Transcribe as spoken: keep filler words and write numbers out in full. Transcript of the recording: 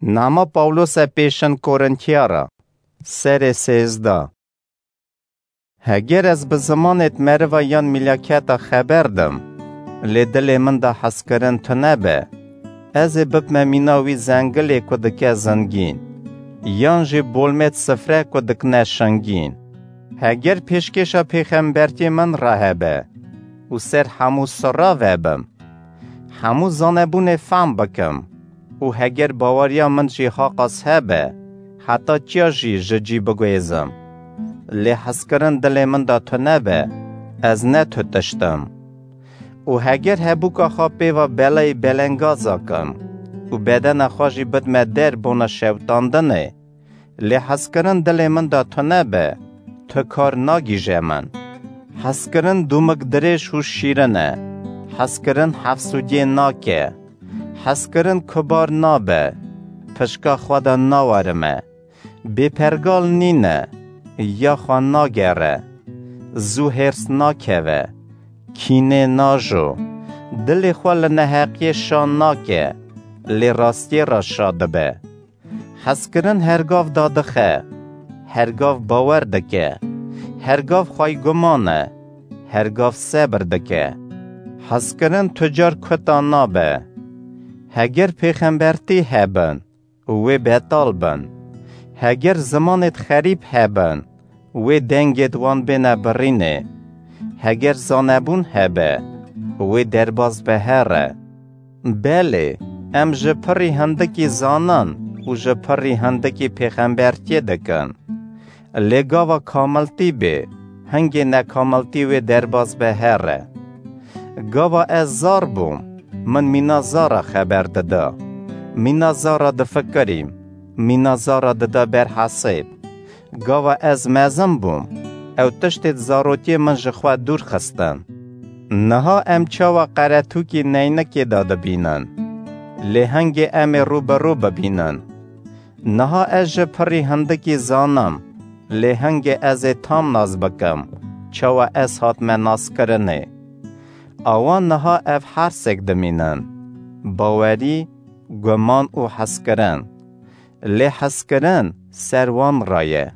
Nama Pawlose pêşin Korintiyara, serê sêzdeh. Heger ez bi zimanêt meriva yan mîlaketa xeber dim, lê dilê min de hezkirin tune be, ez ê bibme mîna wî zengilê ku dike zingîn, yan jî bolmêt sifre ku dikine şingîn. Heger pêşkêşa pêxembertiyê min re hebe û ser hemû sira vebim, hemû zanebûnê fehm bikim û heger baweriya min jî haqas hebe, heta çiya jî ji cî biguêzim. Lê hezkirin dilê min de tune be, ez ne tu tişt im. Û heger hebûka xwe pê ve belayê belengaza kim û bedena xwe jî bidme der bona şewitandinê, lê hezkirin dilê min de tune be, tu kar nagîje min. Hezkirin dûmik dirêj û şîrin e. Hezkirin hefsûdiyê nake. Hezkirin kubar nabe. Pişka xwe de nawerime. Bêpergal nîne. Ya xwe nagere. Zû hêrs nakeve. Kînê najo. Dilê xwe li neheqiyê şa nake. Lê rastiyê re şa dibe. Hezkirin her gav dadixe, her gav bawer dike, her gav xwey guman e, her gav sebir dike. Hezkirin tu car kuta nabe. Heger pêxembertî hebin, wê betal bin. Heger zimanêt xerîb hebin, wê dengêt wan bêne birînê. Heger zanebûn hebe, wê derbas be here. Belê, em ji pirî hindikî zanan û ji pirî hindikî pêxembertiyê dikin. Lê gava kamiltî bê, hingê nekamiltî wê derbas be here. Gava ez zar bûm, min mîna zara xeber dida. Mîna zara difikirîm, mîna zara dida ber hesêb. Gava ez mezin bûm, ew tiştêt zarokiyê min ji xwe dûr xistin. Niha em çawa qeretûkî neynikê de dibînin, lê hingê em ê rû bi rû bibînin. Niha ez ji pirî hindikî zanim, lê hingê ez ê tam nas bikim, çawa ez hatime naskirinê. Awa niha ev hersêk dimînin, bawerî, guman û hezkirin. Lê hezkirin ser wan re ye.